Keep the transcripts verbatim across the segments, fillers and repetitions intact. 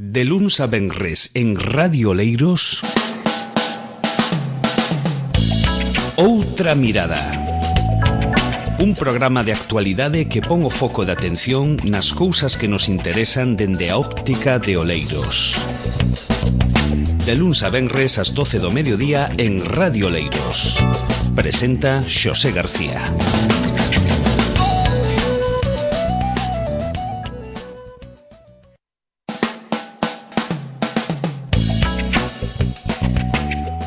De luns a venres en Radio Oleiros, Outra Mirada. Un programa de actualidade que pon o foco de atención nas cousas que nos interesan dende a óptica de Oleiros. De luns a venres ás doce do mediodía en Radio Oleiros. Presenta Xosé García.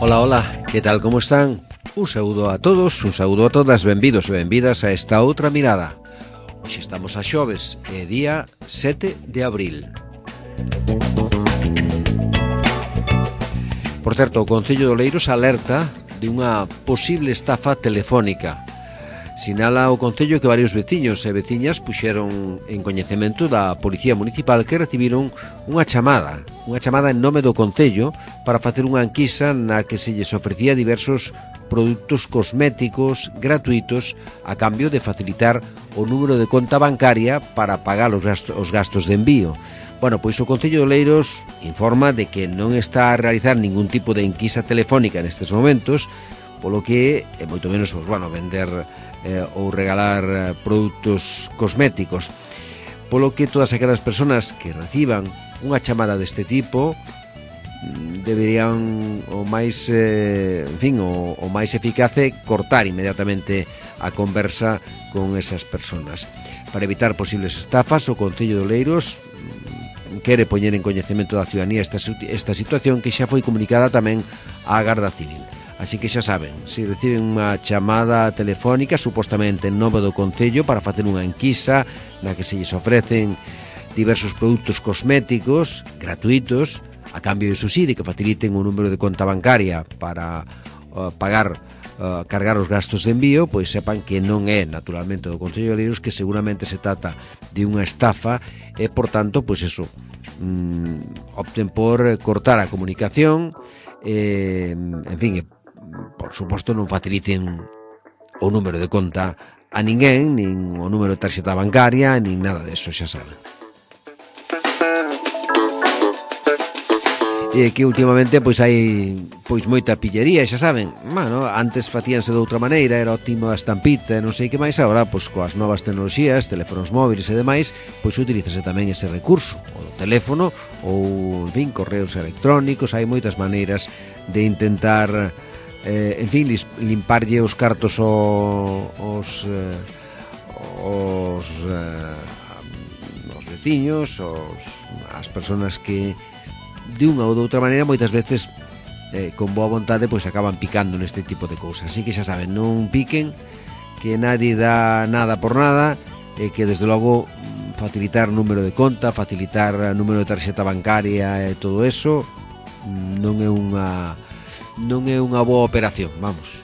Hola, hola, que tal, como están? Un saúdo a todos, un saúdo a todas, benvidos e benvidas a esta outra mirada. Hoxe estamos a xoves, é día sete de abril. Por certo, o Concello de Oleiros alerta de unha posible estafa telefónica. Sinala o Concello que varios veciños e veciñas puxeron en coñecemento da Policía Municipal que recibiron unha chamada, unha chamada en nome do Concello para facer unha enquisa na que se lles ofrecía diversos produtos cosméticos gratuitos a cambio de facilitar o número de conta bancaria para pagar os gastos, os gastos de envío. Bueno, pois o Concello de Oleiros informa de que non está a realizar ningún tipo de enquisa telefónica nestes momentos, polo que é moito menos, pues, bueno, vender eh, ou regalar eh, produtos cosméticos. Polo que todas aquelas persoas que reciban unha chamada deste tipo deberían o máis eh, en fin, o, o máis eficace cortar inmediatamente a conversa con esas persoas. Para evitar posibles estafas, o Concello de Oleiros quere poñer en coñecemento da ciudadanía esta, esta situación que xa foi comunicada tamén á Garda Civil. Así que xa saben, se reciben unha chamada telefónica supostamente en nome do Concello para facer unha enquisa na que se lles ofrecen diversos produtos cosméticos gratuitos a cambio de sí de que faciliten un número de conta bancaria para uh, pagar, uh, cargar os gastos de envío, pois sepan que non é naturalmente do Concello de Oleiros, que seguramente se trata de unha estafa e, por tanto, pois eso, mm, opten por cortar a comunicación, eh, en fin, por suposto non faciliten o número de conta a ninguén, nin o número de tarxeta bancaria, nin nada deso, xa saben. E que últimamente pois hai pois moita pillería, xa saben. Bueno, antes facíanse de outra maneira, era óptimo a estampita e non sei que máis. Agora, pois coas novas tecnoloxías, teléfonos móviles e demais, pois utilízase tamén ese recurso, o do teléfono ou, en fin, correos electrónicos. Hai moitas maneiras de intentar eh, en fin, limparlle os cartos o, os eh, os eh, os veciños, os, as persoas que de unha ou de outra maneira moitas veces eh, con boa vontade pois acaban picando neste tipo de cousas. Así que xa saben, non piquen, que nadie dá nada por nada, e que desde logo facilitar número de conta, facilitar número de tarxeta bancaria e todo eso non é unha non é unha boa operación, vamos.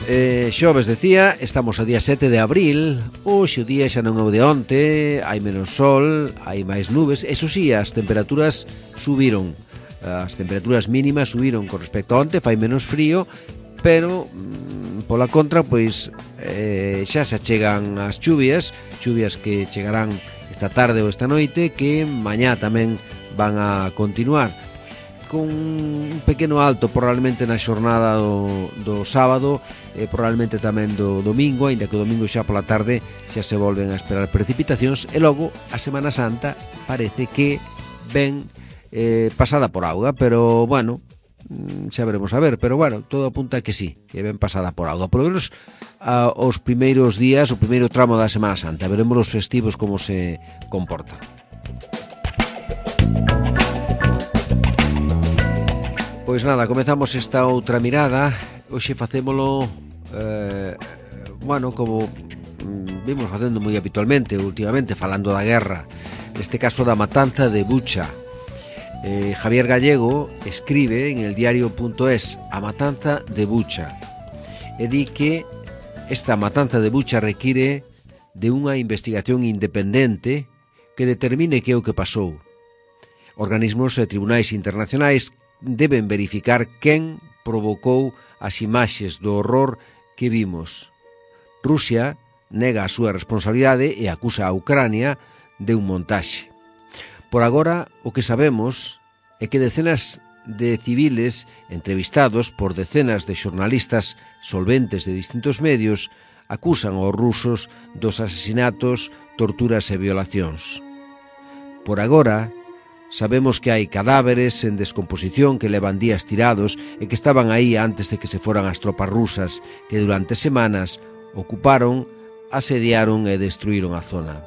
Eh, xoves, decía, estamos a día sete de abril. Hoxe o día xa non é o de onte, hai menos sol, hai máis nubes. Eso sí, as temperaturas subiron, as temperaturas mínimas subiron con respecto a onte, fai menos frío, pero mm, pola contra, pois eh, xa se achegan as chuvias, chuvias que chegarán esta tarde ou esta noite, que mañá tamén van a continuar con un pequeno alto probablemente na xornada do, do sábado e probablemente tamén do domingo, aínda que o domingo xa pola tarde xa se volven a esperar precipitacións e logo a Semana Santa parece que ven eh, pasada por auga, pero bueno, xa veremos a ver, pero bueno, todo apunta a que sí, que ven pasada por auga, por lo menos a, os primeiros días, o primeiro tramo da Semana Santa. Veremos os festivos como se comportan. Pois nada, comezamos esta outra mirada. Hoxe facémolo eh, bueno, como mm, vimos facendo moi habitualmente últimamente, falando da guerra, neste caso da matanza de Bucha. eh, Javier Gallego escribe en el diario punto es a matanza de Bucha e di que esta matanza de Bucha require de unha investigación independente que determine que é o que pasou. Organismos e tribunais internacionais deben verificar quen provocou as imaxes do horror que vimos. Rusia nega a súa responsabilidade e acusa a Ucrania de un montaxe. Por agora, o que sabemos é que decenas de civiles entrevistados por decenas de xornalistas solventes de distintos medios acusan aos rusos dos asesinatos, torturas e violacións. Por agora, sabemos que hai cadáveres en descomposición que levan días tirados e que estaban aí antes de que se foran as tropas rusas que durante semanas ocuparon, asediaron e destruíron a zona.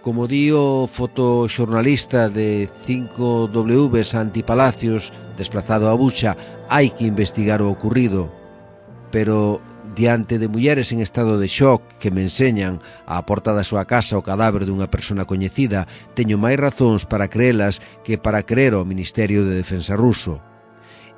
Como di o fotoxornalista de cinco W Santi Palacios, desplazado a Bucha, hai que investigar o ocurrido, pero diante de mulleres en estado de shock que me enseñan á porta da súa casa o cadáver dunha persona coñecida, teño máis razóns para creelas que para creer ao Ministerio de Defensa ruso.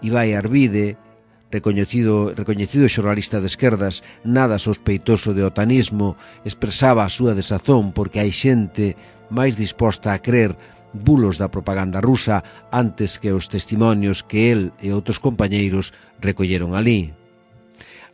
Ibai Arvide, recoñecido, recoñecido xornalista de esquerdas, nada sospeitoso de otanismo, expresaba a súa desazón porque hai xente máis disposta a creer bulos da propaganda rusa antes que os testimonios que el e outros compañeiros recolleron ali.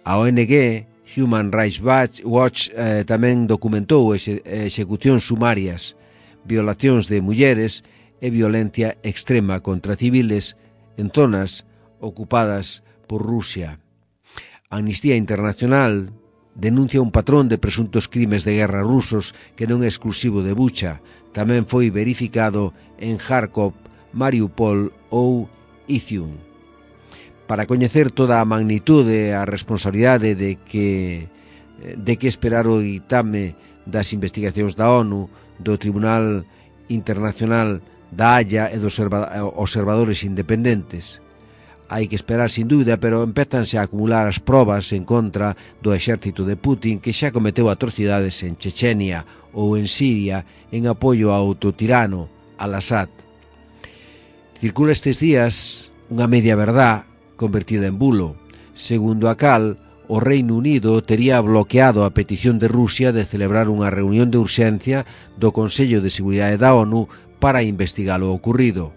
A O N G, Human Rights Watch, eh, tamén documentou exe, execucións sumarias, violacións de mulleres e violencia extrema contra civiles en zonas ocupadas por Rusia. Amnistía Internacional denuncia un patrón de presuntos crimes de guerra rusos que non é exclusivo de Bucha, tamén foi verificado en Kharkov, Mariupol ou Izium. Para coñecer toda a magnitude e a responsabilidade de que, de que esperar o ditame das investigacións da ONU, do Tribunal Internacional da Haya e dos observadores independentes. Hai que esperar sin dúbida, pero empezanse a acumular as probas en contra do exército de Putin que xa cometeu atrocidades en Chechenia ou en Siria en apoio ao autotirano Al-Assad. Circula estes días unha media verdad convertida en bulo, segundo a cal o Reino Unido tería bloqueado a petición de Rusia de celebrar unha reunión de urxencia do Consello de Seguridade da ONU para investigar o ocurrido.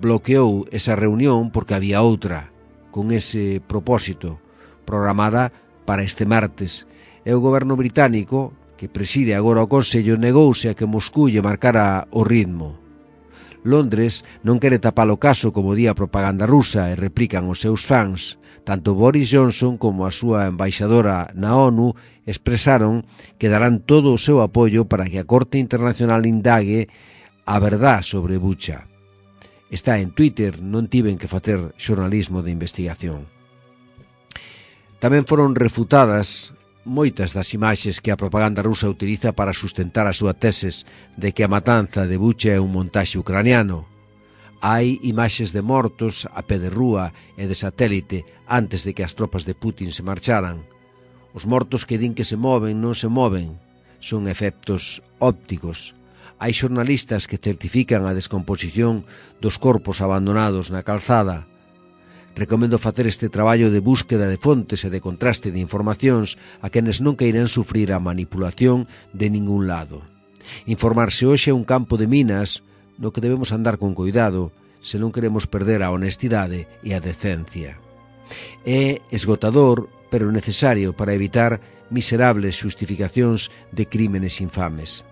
Bloqueou esa reunión porque había outra, con ese propósito, programada para este martes, e o goberno británico, que preside agora o Consello, negouse a que Moscú lle marcara o ritmo. Londres non quere tapar o caso como di a propaganda rusa e replican os seus fans. Tanto Boris Johnson como a súa embaixadora na ONU expresaron que darán todo o seu apoio para que a Corte Internacional indague a verdad sobre Bucha. Está en Twitter, non tiven que facer xornalismo de investigación. Tamén foron refutadas moitas das imaxes que a propaganda rusa utiliza para sustentar a súa teses de que a matanza de Bucha é un montaxe ucraniano. Hai imaxes de mortos a pé de rúa e de satélite antes de que as tropas de Putin se marcharan. Os mortos que din que se moven non se moven, son efectos ópticos. Hai xornalistas que certifican a descomposición dos corpos abandonados na calzada. Recomendo facer este traballo de búsqueda de fontes e de contraste de informacións a quenes non queiran sufrir a manipulación de ningún lado. Informarse hoxe é un campo de minas no que debemos andar con cuidado se non queremos perder a honestidade e a decencia. É esgotador, pero necesario para evitar miserables xustificacións de crímenes infames.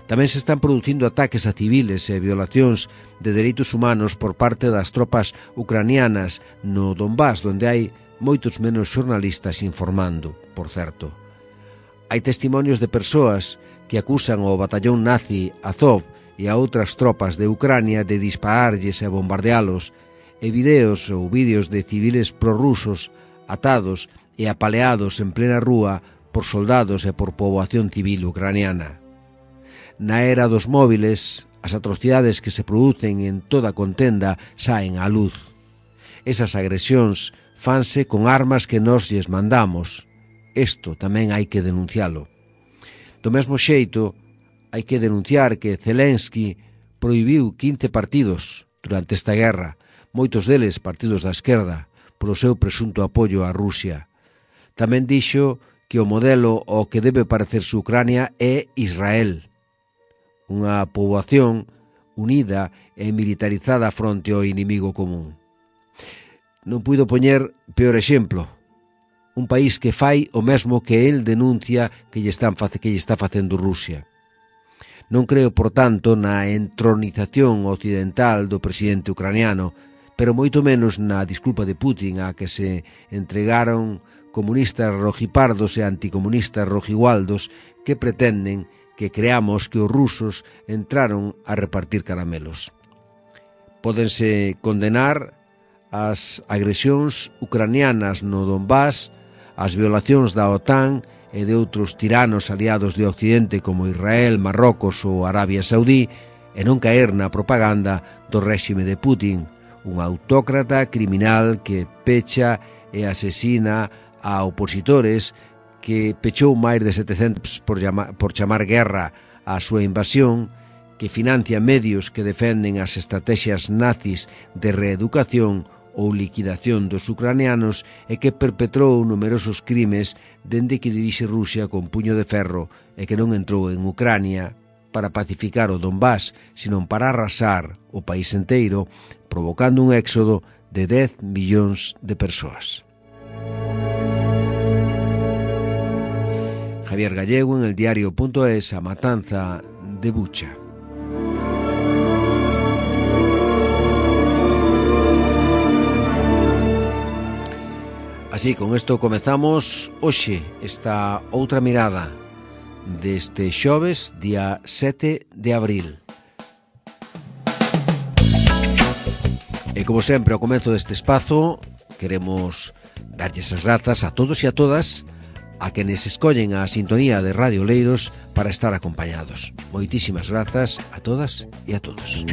Tamén se están producindo ataques a civiles e violacións de dereitos humanos por parte das tropas ucranianas no Donbás, donde hai moitos menos xornalistas informando, por certo. Hai testimonios de persoas que acusan ao batallón nazi Azov e a outras tropas de Ucrania de dispararlles e bombardealos, e videos ou vídeos de civiles prorrusos atados e apaleados en plena rúa por soldados e por poboación civil ucraniana. Na era dos móviles, as atrocidades que se producen en toda contenda saen á luz. Esas agresións fanse con armas que nós lles mandamos. Isto tamén hai que denuncialo. Do mesmo xeito, hai que denunciar que Zelensky prohibiu quince partidos durante esta guerra, moitos deles partidos da esquerda, polo seu presunto apoio a Rusia. Tamén dixo que o modelo ao que debe parecerse Ucrania é Israel, unha poboación unida e militarizada fronte ao inimigo común. Non puido poñer peor exemplo. un país que fai o mesmo que el denuncia que lle, están, que lle está facendo Rusia. Non creo, por tanto, na entronización occidental do presidente ucraniano, pero moito menos na disculpa de Putin a que se entregaron comunistas rojipardos e anticomunistas rojigualdos que pretenden que creamos que os rusos entraron a repartir caramelos. Pódense condenar as agresións ucranianas no Donbass, as violacións da OTAN e de outros tiranos aliados de Occidente como Israel, Marrocos ou Arabia Saudí e non caer na propaganda do réxime de Putin, un autócrata criminal que pecha e asesina a opositores, que pechou máis de setecentos por, llama, por chamar guerra á súa invasión, que financia medios que defenden as estrategias nazis de reeducación ou liquidación dos ucranianos e que perpetrou numerosos crimes dende que dirixe Rusia con puño de ferro e que non entrou en Ucrania para pacificar o Donbass, sino para arrasar o país inteiro, provocando un éxodo de dez millóns de persoas. Javier Gallego en el diario punto es, a matanza de Bucha. Así, con isto comezamos hoxe esta outra mirada deste xoves, día sete de abril. E como sempre, ao comezo deste espazo, queremos darlles as grazas a todos e a todas a quenes escollen a sintonía de Radio Oleiros para estar acompañados. Moitísimas grazas a todas e a todos.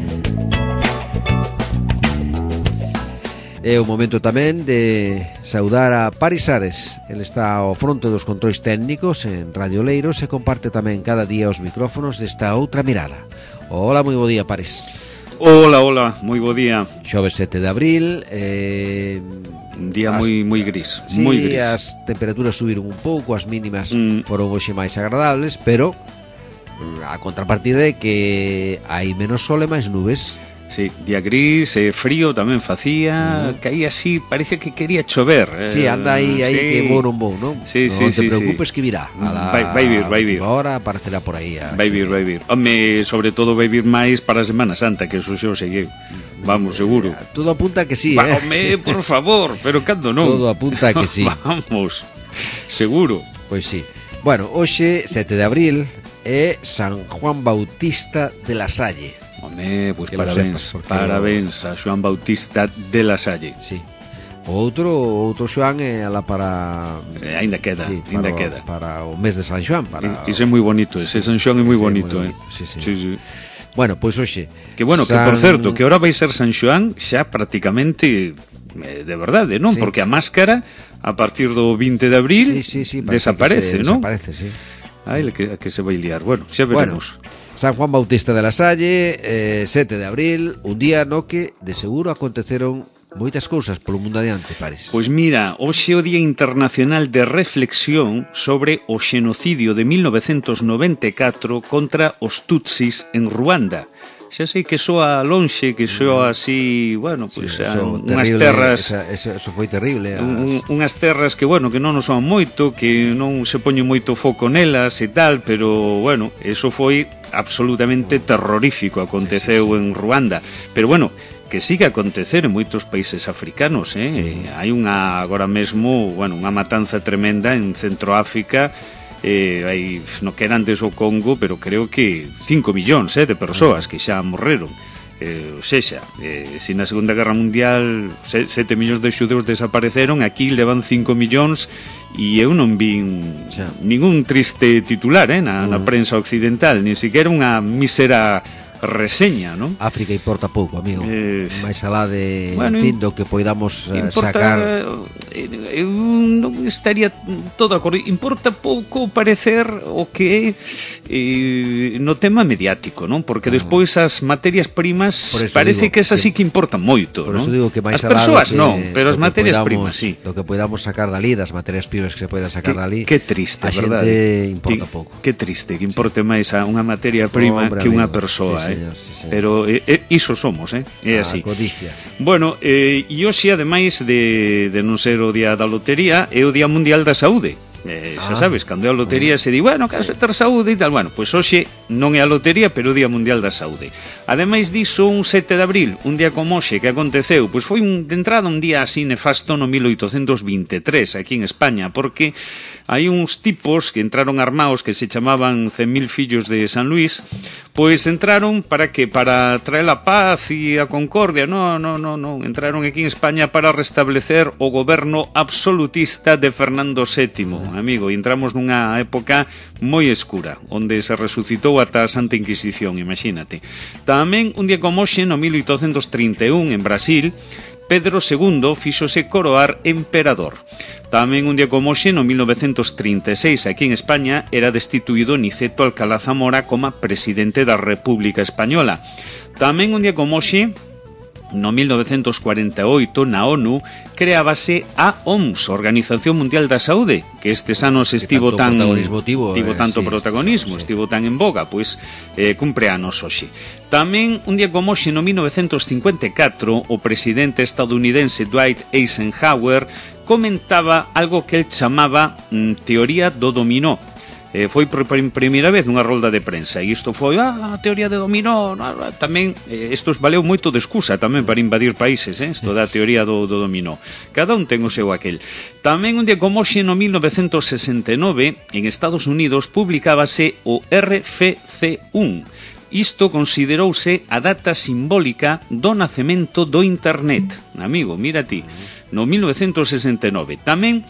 É o momento tamén de saudar a Paris Ares. Ele está ao fronte dos controis técnicos en Radio Oleiros e comparte tamén cada día os micrófonos desta outra mirada. Hola, moi bo día, Paris. Hola, hola, moi bo día. Xoves sete de abril, eh, un día as, moi moi gris, sí, moi gris. As temperaturas subiron un pouco, as mínimas mm. foron hoxe máis agradables, pero a contrapartida é que hai menos sol e máis nubes. Sí, día gris, eh, frío tamén facía, mm. caía así, parece que quería chover. Eh, sí, anda aí, aí sí. Que vou non vou, non? Sí, non sí, te sí, preocupes sí. Que virá. A la, vai, vai vir, vai vir. Ahora aparecerá por aí. Vai vir, vai vir. Home, sobre todo vai vir máis para a Semana Santa, que eso xo segueu. Vamos, seguro. Todo apunta que sí, Va, eh? Home, por favor, pero cando non? Todo apunta que sí. Vamos, seguro. Pois sí. Bueno, hoxe, sete de abril, é San Juan Bautista de la Salle. Home, pois pues parabéns, sepas, parabéns a Xoán Bautista de la Salle. Sí. O outro, outro Xoán é ala para... Eh, ainda queda, sí, ainda para, queda. Para o mes de San Xoán. Para... Ese é moi bonito, ese San Xoán é moi bonito, bonito, eh. Sí, sí. Sí, sí. Bueno, pois pues, hoxe... Que bueno, San... que por certo, que ahora vai ser San Xoán xa prácticamente eh, de verdade, non? Sí. Porque a máscara a partir do vinte de abril sí, sí, sí, desaparece, non? Desaparece, sí. Ai, que, que se vai liar. Bueno, xa veremos. Bueno. San Juan Bautista de la Salle, eh, sete de abril, un día no que de seguro aconteceron moitas cousas polo mundo adiante, Paris. Pois mira, hoxe é o Día Internacional de Reflexión sobre o xenocidio de mil novecentos noventa e catro contra os Tutsis en Ruanda. Xa sei que soa lonxe, que soa así, bueno, pois pues, sí, unhas terras... Esa, eso, eso foi terrible. As... Un, unhas terras que, bueno, que non nos son moito, que non se poñe moito foco nelas e tal, pero, bueno, eso foi absolutamente terrorífico, aconteceu sí, sí, sí. en Ruanda. Pero, bueno, que sigue a acontecer en moitos países africanos, eh? Mm. Hai unha, agora mesmo, bueno, unha matanza tremenda en Centroáfrica, eh, hai, no que era antes o Congo, pero creo que cinco millóns eh, de persoas que xa morreron. Eh, ou sexa, eh, se na Segunda Guerra Mundial sete millóns de xudeus desapareceron, aquí levan cinco millóns e eu non vin xa. ningún triste titular eh, na, na prensa occidental, ni siquiera unha mísera reseña, non? África importa pouco, amigo. Eh, máis alá de bueno, fin do que poidamos importa, sacar. Eu non estaría todo de acordo. Importa pouco parecer o que eh, no tema mediático, non? Porque despois as materias primas parece que esas sí que importan moito, por non? Por eso digo que máis as alá persoas que, non, pero as materias podamos, primas sí. Do que podamos sacar dali, das materias primas que se poidan sacar que, dali. Que triste, a verdade? Xente importa que, pouco. Que triste, que importe sí. máis a unha materia prima oh, hombre, que unha persoa. Sí, verdade. Sí, señor, sí, señor. Pero eh, eh, iso somos, eh? É así. A codicia. Bueno, eh, e hoxe, ademais de, de non ser o día da lotería, é o Día Mundial da Saúde. Eh, xa Ah. sabes, cando é a lotería se di, bueno, caso de ter saúde e tal. Bueno, pois hoxe non é a lotería, pero o Día Mundial da Saúde. Ademais diso, un sete de abril, un día como hoxe que aconteceu, pois foi un, de entrada un día así nefasto no mil oitocentos vinte e tres aquí en España, porque hai uns tipos que entraron armados que se chamaban cen mil fillos de San Luis, pois entraron para que para traer a paz e a concordia. No, no, no, no, entraron aquí en España para restablecer o goberno absolutista de Fernando sétimo, amigo, e entramos nunha época moi escura, onde se resucitou ata a Santa Inquisición, imagínate. Tamén, un día como hoxe, no mil oitocentos trinta e un, en Brasil, Pedro segundo fíxose coroar emperador. Tamén un día como hoxe, no mil novecentos trinta e seis, aquí en España, era destituído Niceto Alcalá Zamora como presidente da República Española. Tamén un día como hoxe, no mil novecentos cuarenta e oito, na ONU, creábase a O M S, Organización Mundial da Saúde, que estes anos estivo tanto tan protagonismo tivo, tivo eh, tanto sí, protagonismo, sí. estivo tan en boga, pois eh, cumpre anos hoxe. Tamén, un día como hoxe, no mil novecentos cincuenta e catro, o presidente estadounidense Dwight Eisenhower comentaba algo que el chamaba mm, teoría do dominó. Eh, foi por primeira vez nunha rolda de prensa e isto foi, ah, a teoría de dominó, no, tamén, eh, isto valeu moito de excusa tamén para invadir países, eh, isto da teoría do, do dominó. Cada un ten o seu aquel. Tamén un día como hoxe, no mil novecentos sesenta e nove, en Estados Unidos publicábase o R F C uno. Isto considerouse a data simbólica do nacemento do Internet. Amigo, mira ti, no mil novecentos sesenta e nove. Tamén,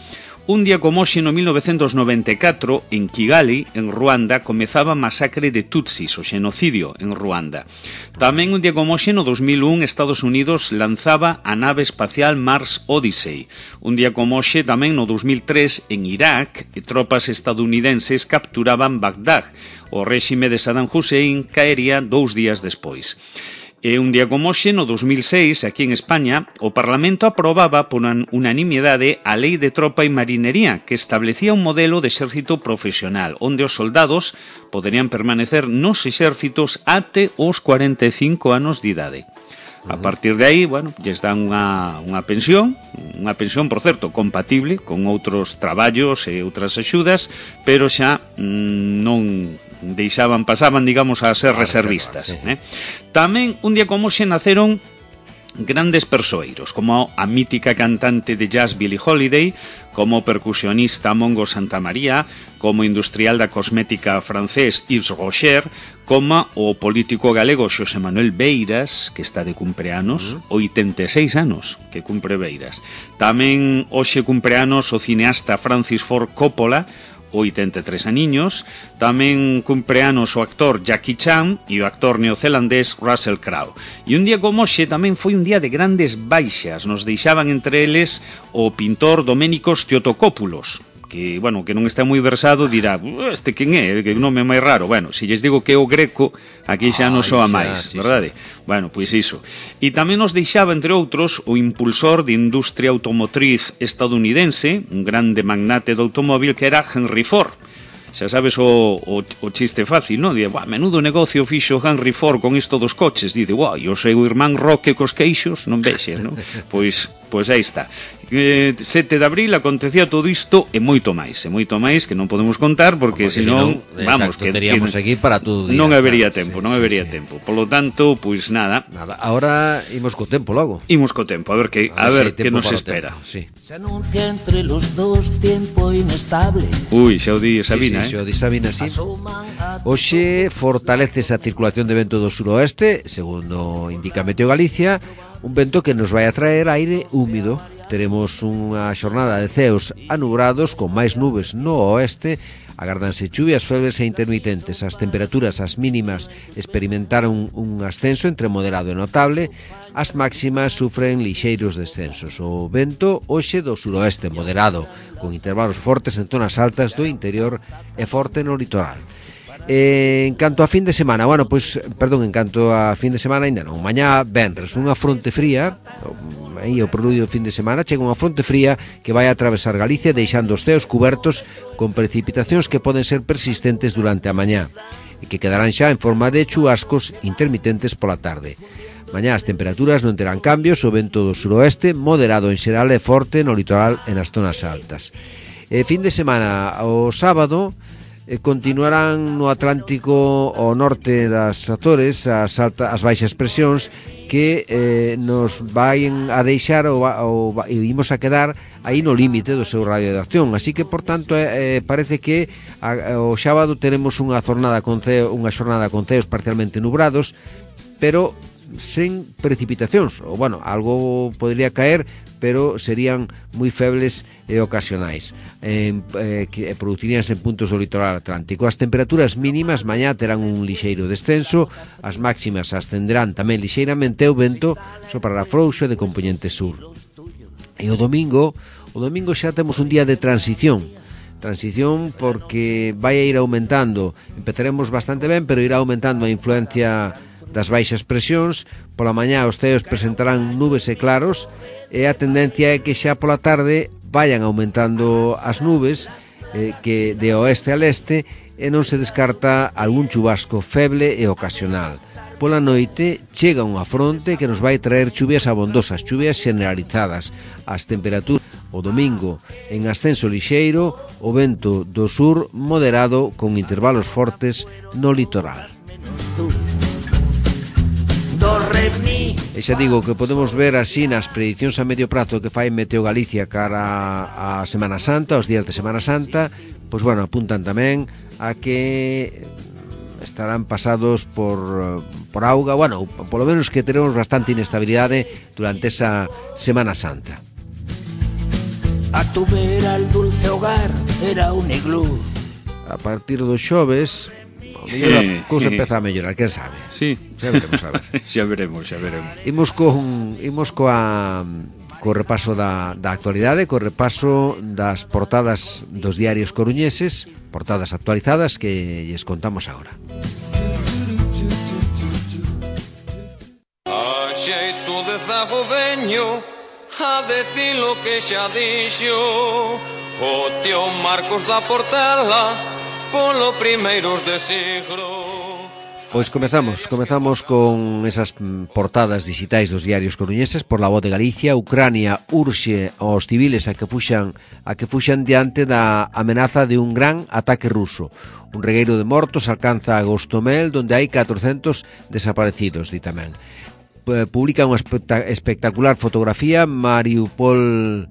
un día como hoxe, no mil novecentos noventa e catro, en Kigali, en Ruanda, comezaba a masacre de Tutsis, o xenocidio en Ruanda. Tamén un día como hoxe, no dos mil un, Estados Unidos lanzaba a nave espacial Mars Odyssey. Un día como hoxe, tamén no dos mil tres, en Irak, tropas estadounidenses capturaban Bagdad. O réxime de Saddam Hussein caería dous días despois. E un día como hoxe, no dos mil seis, aquí en España, o Parlamento aprobaba por unanimidade a Lei de Tropa e Marinería, que establecía un modelo de exército profesional, onde os soldados poderían permanecer nos exércitos até os cuarenta e cinco anos de idade. A partir de aí, bueno, lles dan unha, unha pensión, unha pensión, por certo, compatible con outros traballos e outras axudas, pero xa mmm, non deixaban, pasaban, digamos, a ser a reservistas. Reserva, sí. eh? Tamén, un día como hoxe, naceron grandes persoeiros, como a mítica cantante de jazz Billie Holiday, como percusionista Mongo Santamaría, como industrial da cosmética francés Yves Rocher, como o político galego Xosé Manuel Beiras, que está de cumpleanos, uh-huh. oitenta e seis anos que cumpre Beiras. Tamén hoxe cumpleanos o cineasta Francis Ford Coppola, oitenta e tres aniños. Tamén cumpleanos o actor Jackie Chan e o actor neozelandés Russell Crowe. E un día como hoxe tamén foi un día de grandes baixas. Nos deixaban entre eles o pintor Doménicos Teotocópulos, que, bueno, que non está moi versado, dirá, este quen é, que nome máis raro. Bueno, se lles digo que é o Greco, aquí xa non soa máis, sí, verdade? Sí. Bueno, pois iso. E tamén nos deixaba, entre outros, o impulsor de industria automotriz estadounidense, un grande magnate do automóvil, que era Henry Ford. Xa sabes o, o, o chiste fácil, non? Dice, menudo negocio fixo Henry Ford con isto dos coches. Dice, guau, e o seu irmán Roque cos queixos, non vexes, non? Pois, pois aí está. Eh, sete de abril acontecía todo isto e moito máis, e moito máis que non podemos contar porque, porque senón, vamos, exacto, que teríamos aquí para todo día. Non habería claro, tempo, sí, non habería sí, tempo. Por lo tanto, pois nada. Nada, ahora imos co tempo logo. Imos co tempo, a ver que a, a ver, ver si que nos espera. Sí. Se anuncia entre los dos tiempo inestable. Uy, xa o di Sabina, sí, sí, eh. Xa o di Sabina, sí. Hoxe fortalece esa circulación de vento do suroeste, segundo indica Meteo Galicia, un vento que nos vai a traer aire húmido. Teremos unha xornada de ceos anubrados con máis nubes no oeste. Agárdanse chuvias febles e intermitentes. As temperaturas, as mínimas, experimentaron un ascenso entre moderado e notable. As máximas sufren lixeiros descensos. O vento hoxe do suroeste moderado, con intervalos fortes en zonas altas do interior e forte no litoral. Eh, en canto a fin de semana, bueno, pois, perdón, en canto a fin de semana ainda non. Mañá venres, unha fronte fría, aí o preludio do fin de semana, chega unha fronte fría que vai a atravesar Galicia deixando os ceos cubertos con precipitacións que poden ser persistentes durante a mañá. e que quedarán xa en forma de chubascos intermitentes pola tarde. Mañá as temperaturas non terán cambios, o vento do suroeste moderado en xeral e forte no litoral e nas zonas altas. E fin de semana, o sábado, eh, continuarán no Atlántico ao norte das Azores as, alta, as baixas presións que eh, nos vayan a deixar ou, ou, ou imos a quedar aí no límite do seu radio de acción. Así que, por tanto, eh, parece que a, o sábado teremos unha jornada con ceo, unha xornada con ceos parcialmente nubrados, pero sen precipitacións, ou bueno, algo podría caer, pero serían moi febles e ocasionais, eh, eh, que produciríanse en puntos do litoral atlántico. As temperaturas mínimas mañá terán un lixeiro descenso, as máximas ascenderán tamén lixeiramente, o vento soprará frouxo de compoñente sur. E o domingo, o domingo xa temos un día de transición, transición porque vai a ir aumentando, empezaremos bastante ben, pero irá aumentando a influencia das baixas presións. Pola mañá os ceos presentarán nubes e claros, e a tendencia é que xa pola tarde vayan aumentando as nubes, eh, que de oeste a leste, e non se descarta algún chubasco feble e ocasional. Pola noite chega unha fronte que nos vai traer chuvias abondosas, chuvias generalizadas. As temperaturas o domingo en ascenso lixeiro, o vento do sur moderado con intervalos fortes no litoral. E xa digo que podemos ver así nas predicións a medio prazo que fai Meteo Galicia cara a Semana Santa, os días de Semana Santa, pois bueno, apuntan tamén a que estarán pasados por, por auga, bueno, polo menos que teremos bastante inestabilidade durante esa Semana Santa. A tu vera el dulce hogar era un iglú. A partir dos xoves a mellor a cousa empeza a mellorar, quen sabe? Sí. Xa veremos, a ver. xa veremos, xa veremos. Imos con imos coa co repaso da, da actualidade, co repaso das portadas dos diarios coruñeses, portadas actualizadas que lles contamos agora. A xeito de zago veño a decir lo que xa dixo o tío Marcos da Portela polo primeiros de siglo. Pois comezamos, comezamos con esas portadas digitais dos diarios coruñeses. Por La Voz de Galicia, Ucrania urxe aos civiles a que fuxan a que fuxan diante da amenaza de un gran ataque ruso. Un regueiro de mortos alcanza a Gostomel, donde hai catrocentos desaparecidos, di tamén. Publica unha espectacular fotografía, Mariupol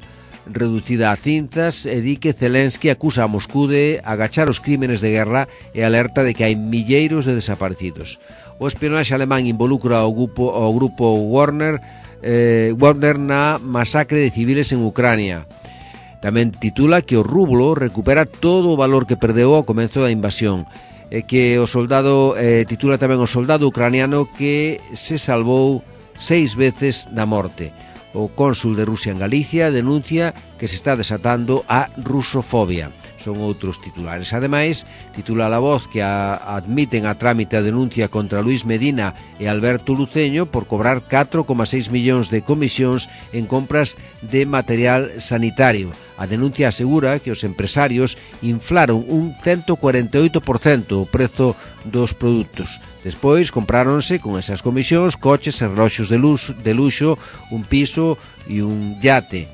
reducida a cinzas, e di que Zelensky acusa a Moscú de agachar os crímenes de guerra e alerta de que hai milleiros de desaparecidos. O espionaxe alemán involucra ao grupo, ao grupo Wagner, eh, Wagner na masacre de civiles en Ucrania. Tamén titula que o rublo recupera todo o valor que perdeu ao comezo da invasión, e que o soldado eh, titula tamén o soldado ucraniano que se salvou seis veces da morte. O cónsul de Rusia en Galicia denuncia que se está desatando a rusofobia. Son outros titulares. Ademais, titula La Voz que a, admiten a trámite a denuncia contra Luis Medina e Alberto Luceño por cobrar catro coma seis millóns de comisións en compras de material sanitario. A denuncia asegura que os empresarios inflaron un ciento cuarenta e oito por cento o prezo dos produtos. Despois compráronse con esas comisións coches e reloxos de luxo, de luxo, un piso e un yate.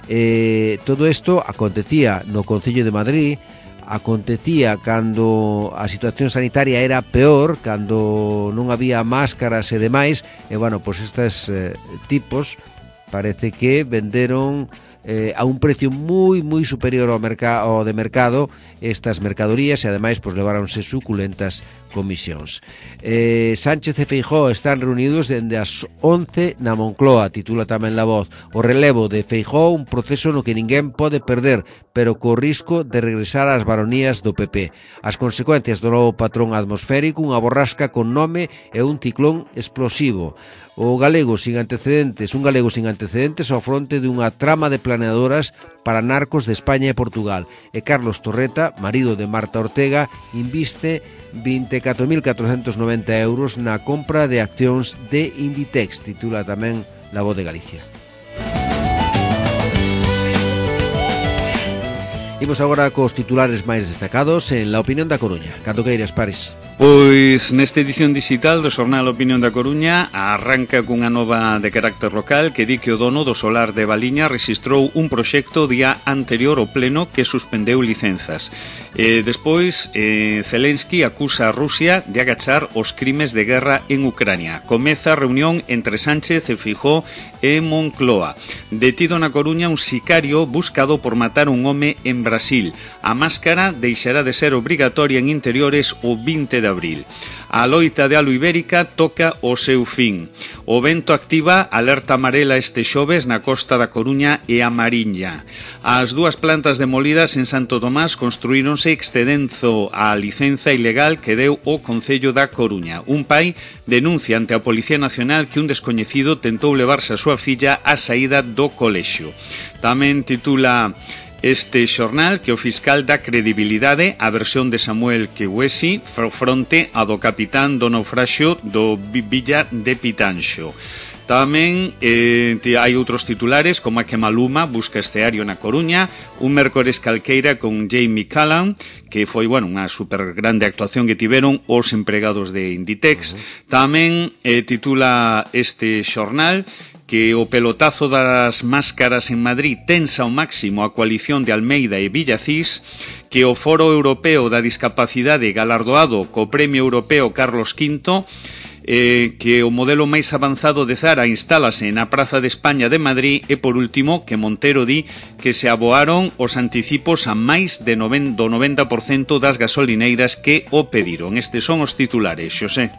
Eh, todo isto acontecía no Concello de Madrid, acontecía cando a situación sanitaria era peor, cando non había máscaras e demais, e bueno, pois estes eh, tipos parece que venderon eh, a un precio moi moi superior ao, merca- ao de mercado estas mercadorías, e ademais pois leváronse suculentas comisións. Eh, Sánchez e Feijóo están reunidos dende as once na Moncloa, titula tamén La Voz. O relevo de Feijóo, un proceso no que ninguén pode perder, pero co risco de regresar ás baronías do P P. As consecuencias do novo patrón atmosférico, unha borrasca con nome e un ciclón explosivo. O galego sin antecedentes, un galego sin antecedentes ao fronte dunha trama de planeadoras para narcos de España e Portugal. E Carlos Torreta, marido de Marta Ortega, inviste vinte e catro mil catrocentos noventa euros na compra de accións de Inditex, titula tamén La Voz de Galicia. Imos agora cos titulares máis destacados en La Opinión da Coruña. Cando queiras, Paris. Pois nesta edición digital do xornal Opinión da Coruña arranca cunha nova de carácter local que di que o dono do solar de Valiña rexistrou un proxecto día anterior ao pleno que suspendeu licenzas. E despois eh, Zelensky acusa a Rusia de agachar os crimes de guerra en Ucrania. Comeza a reunión entre Sánchez e Feijóo e Moncloa. Detido na Coruña un sicario buscado por matar un home en Brasil. A máscara deixará de ser obrigatoria en interiores o vinte de abril. A loita de Alo Ibérica toca o seu fin. O vento activa alerta amarela este xoves na costa da Coruña e a Mariña. As dúas plantas demolidas en Santo Tomás construíronse excedendo a licenza ilegal que deu o Concello da Coruña. Un pai denuncia ante a Policía Nacional que un descoñecido tentou levarse a súa filla á saída do colexio. Tamén titula este xornal que o fiscal dá credibilidade á versión de Samuel Kewesi fronte a do capitán do naufraxio do Villa de Pitanxo. Tamén eh, hai outros titulares como a que Maluma busca escenario na Coruña, un mércores calqueira con Jamie Callan, que foi, bueno, unha super grande actuación que tiveron os empregados de Inditex. Uh-huh. Tamén eh, titula este xornal que o pelotazo das máscaras en Madrid tensa ao máximo a coalición de Almeida e Villacís, que o Foro Europeo da Discapacidade galardoado co Premio Europeo Carlos quinto, eh, que o modelo máis avanzado de Zara instálase na Praza de España de Madrid e, por último, que Montero di que se aboaron os anticipos a máis de noven, do noventa por cento das gasolineiras que o pediron. Estes son os titulares, Xosé.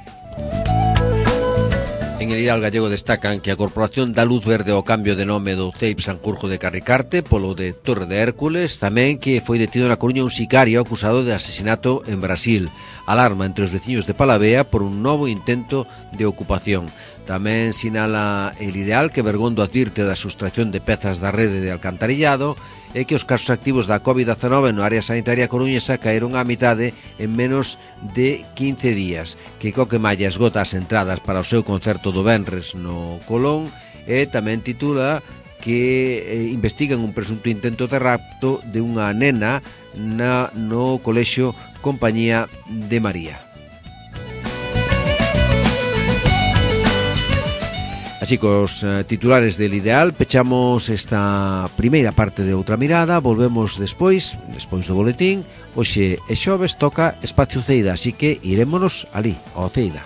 En el Ideal Gallego destacan que a Corporación dá luz verde ao cambio de nome do C E I P Sanjurjo de Carricarte polo de Torre de Hércules, tamén que foi detido na Coruña un sicario acusado de asesinato en Brasil. Alarma entre os veciños de Palavea por un novo intento de ocupación. Tamén sinala el Ideal que Bergondo advirte da sustracción de pezas da rede de alcantarillado e que os casos activos da covid dezenove no área sanitaria coruñesa caeron á mitade en menos de quince días. Que Coquemalla esgota as entradas para o seu concerto do venres no Colón e tamén titula que eh, investigan un presunto intento de rapto de unha nena na, no colexio Compañía de María. Así cos eh, titulares del Ideal pechamos esta primeira parte de Outra Mirada. Volvemos despois, despois do boletín. Hoxe é xoves, toca Espacio Ceida, así que irémonos ali, ao Ceida.